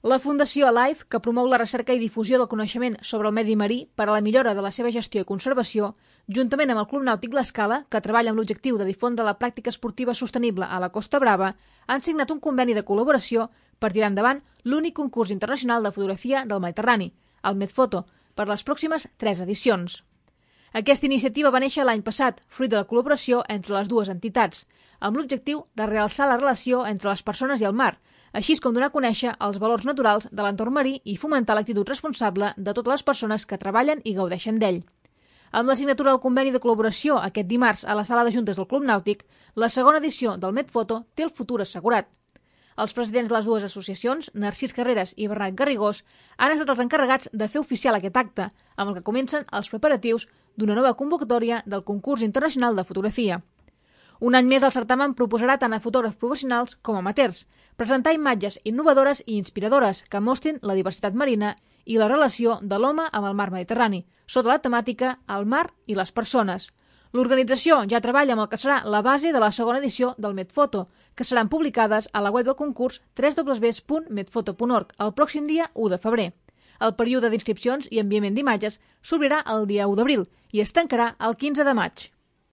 La Fundació Alive, que promou la recerca i difusió del coneixement sobre el medi marí per a la millora de la seva gestió i conservació, juntament amb el Club Nàutic L'Escala, que treballa amb l'objectiu de difondre la pràctica esportiva sostenible a la Costa Brava, han signat un conveni de col·laboració per tirar endavant l'únic concurs internacional de fotografia del Mediterrani, el Medfoto, per les pròximes 3 edicions. Aquesta iniciativa va néixer l'any passat, fruit de la col·laboració entre les dues entitats, amb l'objectiu de realçar la relació entre les persones i el mar, així com donar a conèixer els valors naturals de l'entorn marí i fomentar l'actitud responsable de totes les persones que treballen i gaudeixen d'ell. Amb la signatura del conveni de col·laboració aquest dimarts a la sala de juntes del Club Nàutic, la segona edició del Medfoto té el futur assegurat. Els presidents de les dues associacions, Narcís Carreras i Bernat Garrigós, han estat els encarregats de fer oficial aquest acte, amb el que comencen els preparatius d'una nova convocatòria del concurs internacional de fotografia. Un any més el certamen proposarà tant a fotògrafs professionals com amateurs, presentar imatges innovadores i inspiradores que mostrin la diversitat marina i la relació de l'home amb el mar Mediterrani, sota la temàtica El mar i les persones. L'organització ja treballa amb el que serà la base de la segona edició del Medfoto, que seran publicades a la web del concurs www.medfoto.org el pròxim dia 1 de febrer. El període d'inscripcions i enviament d'imatges s'obrirà el dia 1 d'abril i es tancarà el 15 de maig.